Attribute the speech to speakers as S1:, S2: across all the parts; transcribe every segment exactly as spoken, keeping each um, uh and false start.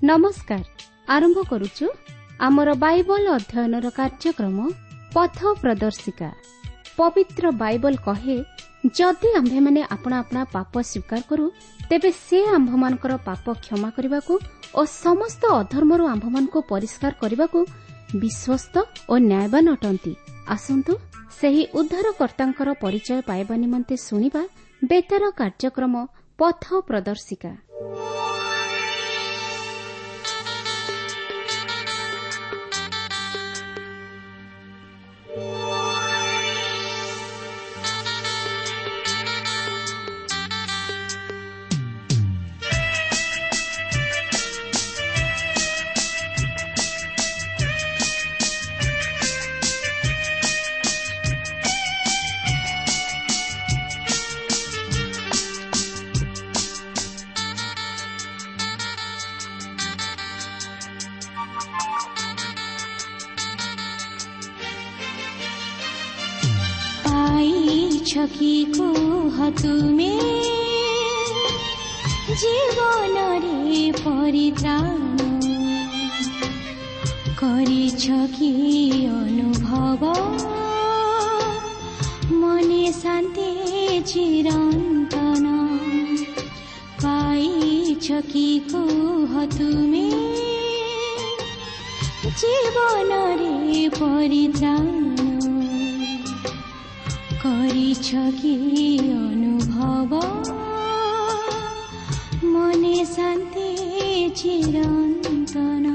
S1: ନମସ୍କାର। ଆରମ୍ଭ କରୁଛୁ ଆମର ବାଇବଲ ଅଧ୍ୟୟନର କାର୍ଯ୍ୟକ୍ରମ ପଥ ପ୍ରଦର୍ଶିକା। ପବିତ୍ର ବାଇବଲ କହେ, ଯଦି ଆମ୍ଭେମାନେ ଆପଣା ଆପଣା ପାପ ସ୍ୱୀକାର କରୁ, ତେବେ ସେ ଆମ୍ଭମାନଙ୍କର ପାପ କ୍ଷମା କରିବାକୁ ଓ ସମସ୍ତ ଅଧର୍ମରୁ ଆମ୍ଭମାନଙ୍କୁ ପରିଷ୍କାର କରିବାକୁ ବିଶ୍ୱସ୍ତ ଓ ନ୍ୟାୟବାନ ଅଟନ୍ତି। ଆସନ୍ତୁ ସେହି ଉଦ୍ଧାରକର୍ତ୍ତାଙ୍କର ପରିଚୟ ପାଇବା ନିମନ୍ତେ ଶୁଣିବା ବେତାର କାର୍ଯ୍ୟକ୍ରମ ପଥ ପ୍ରଦର୍ଶିକା।
S2: କି କୁହ ତୁମେ ଜୀବନରେ ପରିତ୍ରାଣ କରିଛ କି ଅନୁଭବ, ମନେ ଶାନ୍ତି ଚିରନ୍ତନ ପାଇଛ କି କୁହ ତୁମେ ଜୀବନରେ ପରିତ୍ରାଣ କରିଛ କି ଅନୁଭବ, ମନେ ଶାନ୍ତି ଚିରନ୍ତନ।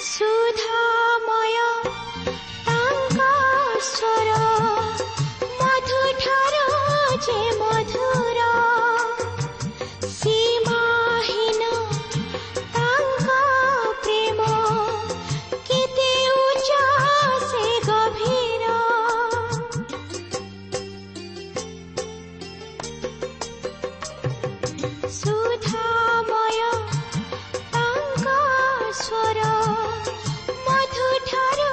S2: ସୁଧାମୟ ତାଙ୍କ ସ୍ୱର ମଧୁଠାରୁ ଯେ ମଧୁର, ସୀମାହୀନ ତାଙ୍କ ପ୍ରେମ କେତେ ଉଚ୍ଚ ସେ ଗଭୀର। ସୁଧାମୟ ତାଙ୍କ ସ୍ୱର ମଧୁଠାରୁ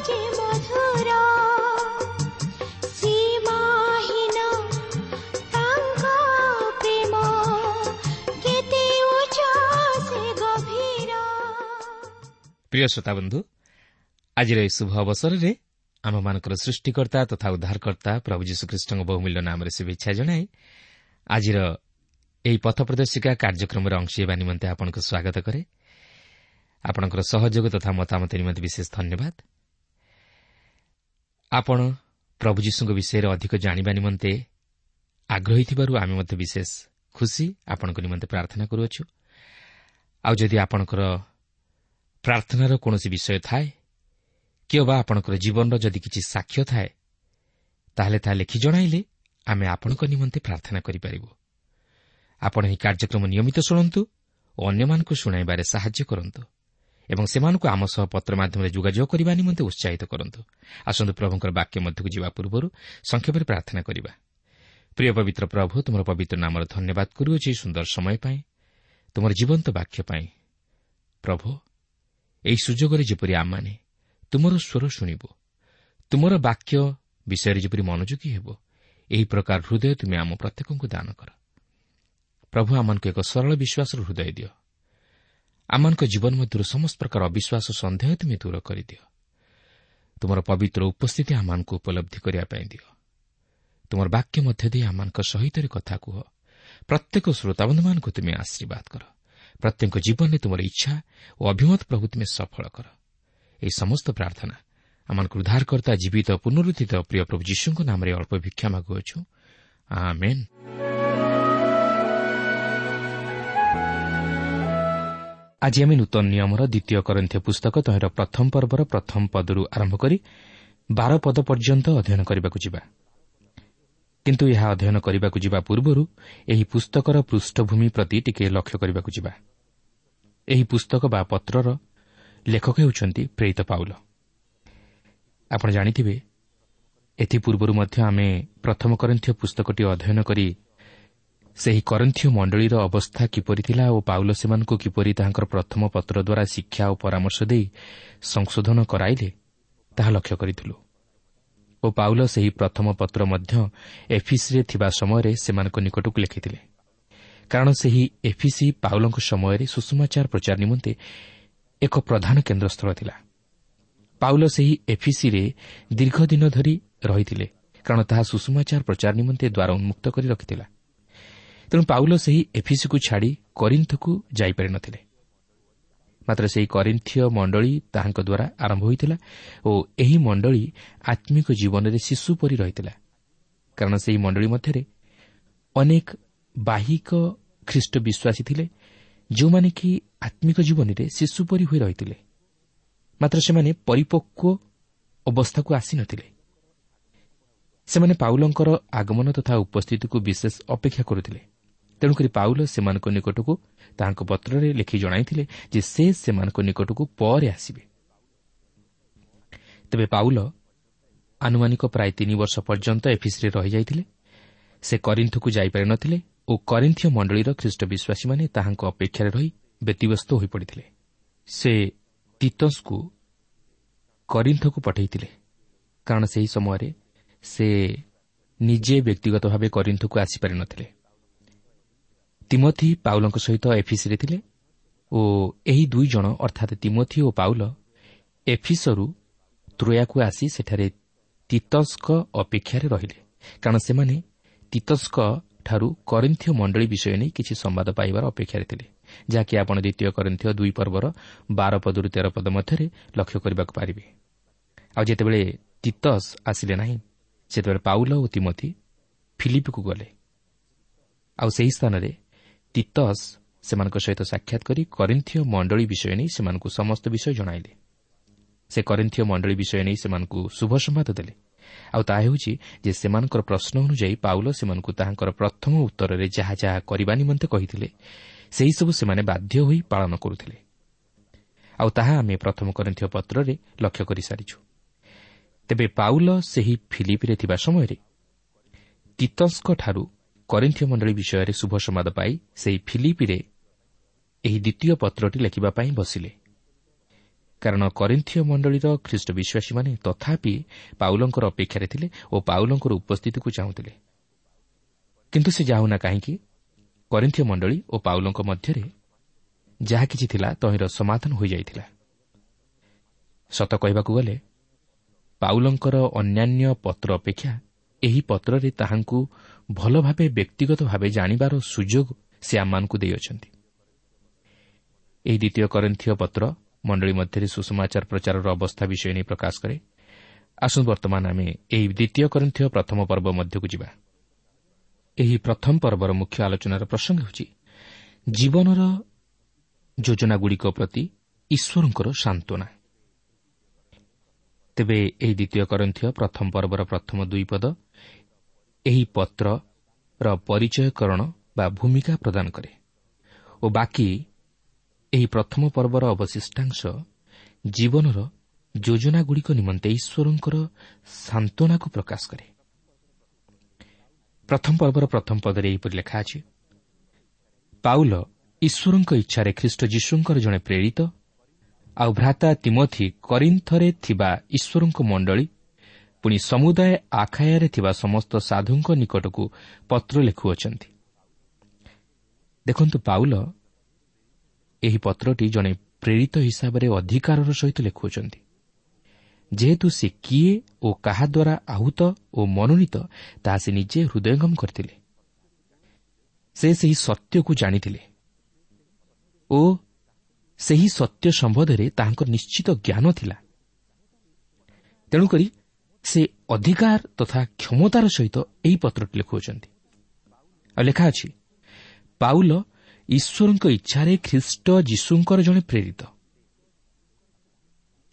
S2: ଯେ ମଧୁର, ସୀମାହୀନ ତାଙ୍କ ପ୍ରେମ କେତେ ଉଚ୍ଚ ସେ ଗଭୀର।
S3: ପ୍ରିୟ ଶ୍ରୋତାବନ୍ଧୁ, ଆଜିର ଏହି ଶୁଭ ଅବସରରେ ଆମମାନଙ୍କର ସୃଷ୍ଟିକର୍ତ୍ତା ତଥା ଉଦ୍ଧାରକର୍ତ୍ତା ପ୍ରଭୁ ଯୀଶୁଖ୍ରୀଷ୍ଟଙ୍କ ବହୁମୂଲ୍ୟ ନାମରେ ଶୁଭେଚ୍ଛା ଜଣାଇ ଆଜିର ଏହି ପଥ ପ୍ରଦର୍ଶିକା କାର୍ଯ୍ୟକ୍ରମରେ ଅଂଶ ହେବା ନିମନ୍ତେ ଆପଣଙ୍କୁ ସ୍ୱାଗତ କରେ। ଆପଣଙ୍କର ସହଯୋଗ ତଥା ମତାମତ ନିମନ୍ତେ ବିଶେଷ ଧନ୍ୟବାଦ। ଆପଣ ପ୍ରଭୁ ଯୀଶୁଙ୍କ ବିଷୟରେ ଅଧିକ ଜାଣିବା ନିମନ୍ତେ ଆଗ୍ରହୀ ଥିବାରୁ ଆମେ ମଧ୍ୟ ବିଶେଷ ଖୁସି। ଆପଣଙ୍କ ନିମନ୍ତେ ପ୍ରାର୍ଥନା କରୁଅଛୁ। ଆଉ ଯଦି ଆପଣଙ୍କର ପ୍ରାର୍ଥନାର କୌଣସି ବିଷୟ ଥାଏ କିମ୍ବା ଆପଣଙ୍କର ଜୀବନର ଯଦି କିଛି ସାକ୍ଷ୍ୟ ଥାଏ, ତାହେଲେ ତାହା ଲେଖି ଜଣାଇଲେ ଆମେ ଆପଣଙ୍କ ନିମନ୍ତେ ପ୍ରାର୍ଥନା କରିପାରିବୁ। ଆପଣ ଏହି କାର୍ଯ୍ୟକ୍ରମ ନିୟମିତ ଶୁଣନ୍ତୁ ଓ ଅନ୍ୟମାନଙ୍କୁ ଶୁଣାଇବାରେ ସାହାଯ୍ୟ କରନ୍ତୁ ଏବଂ ସେମାନଙ୍କୁ ଆମ ସହ ପତ୍ର ମାଧ୍ୟମରେ ଯୋଗାଯୋଗ କରିବା ନିମନ୍ତେ ଉତ୍ସାହିତ କରନ୍ତୁ। ଆସନ୍ତୁ ପ୍ରଭୁଙ୍କର ବାକ୍ୟ ମଧ୍ୟକୁ ଯିବା ପୂର୍ବରୁ ସଂକ୍ଷେପରେ ପ୍ରାର୍ଥନା କରିବା। ପ୍ରିୟ ପବିତ୍ର ପ୍ରଭୁ, ତୁମର ପବିତ୍ର ନାମର ଧନ୍ୟବାଦ କରୁଅଛି ସୁନ୍ଦର ସମୟ ପାଇଁ, ତୁମର ଜୀବନ୍ତ ବାକ୍ୟ ପାଇଁ। ପ୍ରଭୁ, ଏହି ସୁଯୋଗରେ ଯେପରି ଆମମାନେ ତୁମର ସ୍ୱର ଶୁଣିବୁ, ତୁମର ବାକ୍ୟ ବିଷୟରେ ଯେପରି ମନୋଯୋଗୀ ହେବ, ଏହି ପ୍ରକାର ହୃଦୟ ତୁମେ ଆମ ପ୍ରତ୍ୟେକଙ୍କୁ ଦାନ କର। ପ୍ରଭୁ, ଆମମାନଙ୍କୁ ଏକ ସରଳ ବିଶ୍ୱାସର ହୃଦୟ ଦିଅ। ଆମମାନଙ୍କ ଜୀବନ ମଧ୍ୟରୁ ସମସ୍ତ ପ୍ରକାର ଅବିଶ୍ୱାସ, ସନ୍ଦେହ ତୁମେ ଦୂର କରିଦିଅ। ତୁମର ପବିତ୍ର ଉପସ୍ଥିତି ଆମମାନଙ୍କୁ ଉପଲବ୍ଧି କରିବା ପାଇଁ ଦିଅ। ତୁମର ବାକ୍ୟ ମଧ୍ୟ ଦେଇ ଆମମାନଙ୍କ ସହିତ କଥା କୁହ। ପ୍ରତ୍ୟେକ ଶ୍ରୋତାବନ୍ଧୁମାନଙ୍କୁ ତୁମେ ଆଶୀର୍ବାଦ କର। ପ୍ରତ୍ୟେକ ଜୀବନରେ ତୁମର ଇଚ୍ଛା ଓ ଅଭିମତ ପ୍ରଭୁ ତୁମେ ସଫଳ କର। ଏହି ସମସ୍ତ ପ୍ରାର୍ଥନା ଆମମାନଙ୍କୁ ଉଦ୍ଧାରକର୍ତ୍ତା ଜୀବିତ ପୁନରୁତ୍ଥିତ ପ୍ରିୟ ପ୍ରଭୁ ଯୀଶୁଙ୍କ ନାମରେ ଅଳ୍ପ ଭିକ୍ଷା ମାଗୁଅଛୁ, ଆମେନ୍। ଆଜି ଆମେ ନୂତନ ନିୟମର ଦ୍ୱିତୀୟ କରିନ୍ଥୀୟ ପୁସ୍ତକ ତହିଁର ପ୍ରଥମ ପର୍ବର ପ୍ରଥମ ପଦରୁ ଆରମ୍ଭ କରି ବାର ପଦ ପର୍ଯ୍ୟନ୍ତ ଅଧ୍ୟୟନ କରିବାକୁ ଯିବା। କିନ୍ତୁ ଏହା ଅଧ୍ୟୟନ କରିବାକୁ ଯିବା ପୂର୍ବରୁ ଏହି ପୁସ୍ତକର ପୃଷ୍ଠଭୂମି ପ୍ରତି ଟିକେ ଲକ୍ଷ୍ୟ କରିବାକୁ ଯିବା। ଏହି ପୁସ୍ତକ ବା ପତ୍ରର ଲେଖକ ହେଉଛନ୍ତି ପ୍ରେରିତ ପାଉଲ। ଆପଣ ଜାଣିଥିବେ, ଏଥିପୂର୍ବରୁ ମଧ୍ୟ ଆମେ ପ୍ରଥମ କରିନ୍ଥୀୟ ପୁସ୍ତକଟି ଅଧ୍ୟୟନ କରି ସେହି କରିନ୍ଥୀୟ ମଣ୍ଡଳୀର ଅବସ୍ଥା କିପରି ଥିଲା ଓ ପାଉଲ ସେମାନଙ୍କୁ କିପରି ତାହାଙ୍କର ପ୍ରଥମ ପତ୍ର ଦ୍ୱାରା ଶିକ୍ଷା ଓ ପରାମର୍ଶ ଦେଇ ସଂଶୋଧନ କରାଇଲେ ତାହା ଲକ୍ଷ୍ୟ କରିଥିଲୁ। ଓ ପାଉଲ ସେହି ପ୍ରଥମ ପତ୍ର ମଧ୍ୟ ଏଫିସିରେ ଥିବା ସମୟରେ ସେମାନଙ୍କ ନିକଟକୁ ଲେଖିଥିଲେ, କାରଣ ସେହି ଏଫିସି ପାଉଲଙ୍କ ସମୟରେ ସୁସମାଚାର ପ୍ରଚାର ନିମନ୍ତେ ଏକ ପ୍ରଧାନ କେନ୍ଦ୍ରସ୍ଥଳ ଥିଲା। ପାଉଲ ସେହି ଏଫିସିରେ ଦୀର୍ଘ ଦିନ ଧରି ରହିଥିଲେ, କାରଣ ତାହା ସୁସମାଚାର ପ୍ରଚାର ନିମନ୍ତେ ଦ୍ୱାର ଉନ୍ମୁକ୍ତ କରି ରଖିଥିଲା। ତେଣୁ ପାଉଲ ସେହି ଏଫିସିକୁ ଛାଡ଼ି କରିନ୍ଥକୁ ଯାଇପାରିନଥିଲେ। ମାତ୍ର ସେହି କରିନ୍ଥୀୟ ମଣ୍ଡଳୀ ତାହାଙ୍କ ଦ୍ୱାରା ଆରମ୍ଭ ହୋଇଥିଲା ଓ ଏହି ମଣ୍ଡଳୀ ଆତ୍ମିକ ଜୀବନରେ ଶିଶୁ ପରି ରହିଥିଲା, କାରଣ ସେହି ମଣ୍ଡଳୀ ମଧ୍ୟରେ ଅନେକ ବାହିକ ଖ୍ରୀଷ୍ଟ ବିଶ୍ୱାସୀ ଥିଲେ, ଯେଉଁମାନେ କି ଆତ୍ମିକ ଜୀବନରେ ଶିଶୁ ପରି ହୋଇ ରହିଥିଲେ। ମାତ୍ର ସେମାନେ ପରିପକ୍ୱ ଅବସ୍ଥାକୁ ଆସିନଥିଲେ। ସେମାନେ ପାଉଲଙ୍କର ଆଗମନ ତଥା ଉପସ୍ଥିତିକୁ ବିଶେଷ ଅପେକ୍ଷା କରୁଥିଲେ। ତେଣୁକରି ପାଉଲ ସେମାନଙ୍କ ନିକଟକୁ ତାହାଙ୍କ ପତ୍ରରେ ଲେଖି ଜଣାଇଥିଲେ ଯେ ସେ ସେମାନଙ୍କ ନିକଟକୁ ପରେ ଆସିବେ। ତେବେ ପାଉଲ ଆନୁମାନିକ ପ୍ରାୟ ତିନି ବର୍ଷ ପର୍ଯ୍ୟନ୍ତ ଏଫିସିରେ ରହିଯାଇଥିଲେ। ସେ କରିନ୍ଥକୁ ଯାଇପାରିନଥିଲେ ଓ କରିନ୍ଥୀୟ ମଣ୍ଡଳୀର ଖ୍ରୀଷ୍ଟ ବିଶ୍ୱାସୀମାନେ ତାହାଙ୍କ ଅପେକ୍ଷାରେ ରହି ବ୍ୟତିବ୍ୟସ୍ତ ହୋଇପଡ଼ିଥିଲେ। ସେ ତିତସକୁ କରିନ୍ଥକୁ ପଠାଇଥିଲେ, କାରଣ ସେହି ସମୟରେ ସେ ନିଜେ ବ୍ୟକ୍ତିଗତ ଭାବେ କରିନ୍ଥକୁ ଆସିପାରିନଥିଲେ। ତିମୋଥି ପାଉଲଙ୍କ ସହିତ ଏଫିସିରେ ଥିଲେ ଓ ଏହି ଦୁଇ ଜଣ ଅର୍ଥାତ୍ ତିମୋଥି ଓ ପାଉଲ ଏଫିସରୁ ତ୍ରୋୟାକୁ ଆସି ସେଠାରେ ତିତସଙ୍କ ଅପେକ୍ଷାରେ ରହିଲେ, କାରଣ ସେମାନେ ତିତସଙ୍କ ଠାରୁ କରିନ୍ଥୀୟ ମଣ୍ଡଳୀ ବିଷୟ ନେଇ କିଛି ସମ୍ବାଦ ପାଇବାର ଅପେକ୍ଷାରେ ଥିଲେ, ଯାହାକି ଆପଣ ଦ୍ୱିତୀୟ କରିନ୍ଥୀୟ ଦୁଇ ପର୍ବର ବାର ପଦରୁ ତେର ପଦ ମଧ୍ୟରେ ଲକ୍ଷ୍ୟ କରିବାକୁ ପାରିବେ। ଆଉ ଯେତେବେଳେ ତିତସ ଆସିଲେ ନାହିଁ, ସେତେବେଳେ ପାଉଲ ଓ ତିମୋଥି ଫିଲିପିକୁ ଗଲେ। ଆଉ ସେହି ସ୍ଥାନରେ ତିତସ ସେମାନଙ୍କ ସହିତ ସାକ୍ଷାତ କରି କରିନ୍ଥୀୟ ମଣ୍ଡଳୀ ବିଷୟ ନେଇ ସେମାନଙ୍କୁ ସମସ୍ତ ବିଷୟ ଜଣାଇଲେ। ସେ କରିନ୍ଥୀୟ ମଣ୍ଡଳୀ ବିଷୟ ନେଇ ସେମାନଙ୍କୁ ଶୁଭ ସମ୍ବାଦ ଦେଲେ। ଆଉ ତାହା ହେଉଛି ଯେ ସେମାନଙ୍କର ପ୍ରଶ୍ନ ଅନୁଯାୟୀ ପାଉଲ ସେମାନଙ୍କୁ ତାହାଙ୍କର ପ୍ରଥମ ଉତ୍ତରରେ ଯାହା ଯାହା କରିବା ନିମନ୍ତେ କହିଥିଲେ, ସେହିସବୁ ସେମାନେ ବାଧ୍ୟ ହୋଇ ପାଳନ କରୁଥିଲେ। ଆଉ ତାହା ଆମେ ପ୍ରଥମ କରିନ୍ଥୀୟ ପତ୍ରରେ ଲକ୍ଷ୍ୟ କରିସାରିଛୁ। ତେବେ ପାଉଲ ସେହି ଫିଲିପିରେ ଥିବା ସମୟରେ ତିତସଙ୍କଠାରୁ କରିନ୍ଥୀୟ ମଣ୍ଡଳୀ ବିଷୟରେ ଶୁଭ ସମ୍ବାଦ ପାଇ ସେହି ଫିଲିପିରେ ଏହି ଦ୍ୱିତୀୟ ପତ୍ରଟି ଲେଖିବା ପାଇଁ ବସିଲେ, କାରଣ କରିନ୍ଥୀୟ ମଣ୍ଡଳୀର ଖ୍ରୀଷ୍ଟ ବିଶ୍ୱାସୀମାନେ ତଥାପି ପାଉଲଙ୍କର ଅପେକ୍ଷାରେ ଥିଲେ ଓ ପାଉଲଙ୍କର ଉପସ୍ଥିତିକୁ ଚାହୁଁଥିଲେ। କିନ୍ତୁ ସେ ଯାଉନା କାହିଁକି, କରିନ୍ଥୀୟ ମଣ୍ଡଳୀ ଓ ପାଉଲଙ୍କ ମଧ୍ୟରେ ଯାହା କିଛି ଥିଲା ତହିଁର ସମାଧାନ ହୋଇଯାଇଥିଲା। ସତ କହିବାକୁ ଗଲେ ପାଉଲଙ୍କର ଅନ୍ୟାନ୍ୟ ପତ୍ର ଅପେକ୍ଷା ଏହି ପତ୍ରରେ ତାହାଙ୍କୁ ଭଲ ଭାବେ ବ୍ୟକ୍ତିଗତ ଭାବେ ଜାଣିବାର ସୁଯୋଗ ସେ ଆମମାନଙ୍କୁ ଦେଇଅଛନ୍ତି। ଏହି ଦ୍ୱିତୀୟ କରିନ୍ଥୀୟ ପତ୍ର ମଣ୍ଡଳୀ ମଧ୍ୟରେ ସୁସମାଚାର ପ୍ରଚାରର ଅବସ୍ଥା ବିଷୟ ନେଇ ପ୍ରକାଶ କରେ। ଆସନ୍ତୁ ବର୍ତ୍ତମାନ ଆମେ ଏହି ଦ୍ୱିତୀୟ କରିନ୍ଥୀୟ ପ୍ରଥମ ପର୍ବ ମଧ୍ୟକୁ ଯିବା। ଏହି ପ୍ରଥମ ପର୍ବର ମୁଖ୍ୟ ଆଲୋଚନାର ପ୍ରସଙ୍ଗ ହେଉଛି ଜୀବନର ଯୋଜନାଗୁଡ଼ିକ ପ୍ରତି ଈଶ୍ୱରଙ୍କର ସାନ୍ତ୍ୱନା। ତେବେ ଏହି ଦ୍ୱିତୀୟ କରିନ୍ଥୀୟ ପ୍ରଥମ ପର୍ବର ପ୍ରଥମ ଦୁଇ ପଦ ଏହି ପତ୍ରର ପରିଚୟକରଣ ବା ଭୂମିକା ପ୍ରଦାନ କରେ ଓ ବାକି ଏହି ପ୍ରଥମ ପର୍ବର ଅବଶିଷ୍ଟାଂଶ ଜୀବନର ଯୋଜନାଗୁଡ଼ିକ ନିମନ୍ତେ ଈଶ୍ୱରଙ୍କର ସାନ୍ତ୍ୱନାକୁ ପ୍ରକାଶ କରେ। ପ୍ରଥମ ପର୍ବର ପ୍ରଥମ ପଦରେ ଏହିପରି ଲେଖା ଅଛି, ପାଉଲ ଈଶ୍ୱରଙ୍କ ଇଚ୍ଛାରେ ଖ୍ରୀଷ୍ଟ ଯୀଶୁଙ୍କର ଜଣେ ପ୍ରେରିତ ଆଉ ଭ୍ରାତା ତିମୋଥି କରିନ୍ଥରେ ଥିବା ଈଶ୍ୱରଙ୍କ ମଣ୍ଡଳୀ ପୁଣି ସମୁଦାୟ ଆଖାୟାରେ ଥିବା ସମସ୍ତ ସାଧୁଙ୍କ ନିକଟକୁ ପତ୍ର ଲେଖୁଅଛନ୍ତି। ଦେଖନ୍ତୁ, ପାଉଲ ଏହି ପତ୍ରଟି ଜଣେ ପ୍ରେରିତ ହିସାବରେ ଅଧିକାରର ସହିତ ଲେଖୁଅଛନ୍ତି, ଯେହେତୁ ସେ କିଏ ଓ କାହା ଦ୍ୱାରା ଆହୁତ ଓ ମନୋନୀତ ତାହା ସେ ନିଜେ ହୃଦୟଙ୍ଗମ କରିଥିଲେ। ସେ ସେହି ସତ୍ୟକୁ ଜାଣିଥିଲେ ଓ ସେହି ସତ୍ୟ ସମ୍ବନ୍ଧରେ ତାହାଙ୍କର ନିଶ୍ଚିତ ଜ୍ଞାନ ଥିଲା। ତେଣୁକରି ସେ ଅଧିକାର ତଥା କ୍ଷମତାର ସହିତ ଏହି ପତ୍ରଟି ଲେଖୁଅଛନ୍ତି। ଆଉ ଲେଖା ଅଛି, ପାଉଲ ଈଶ୍ୱରଙ୍କ ଇଚ୍ଛାରେ ଖ୍ରୀଷ୍ଟ ଯୀଶୁଙ୍କର ଜଣେ ପ୍ରେରିତ।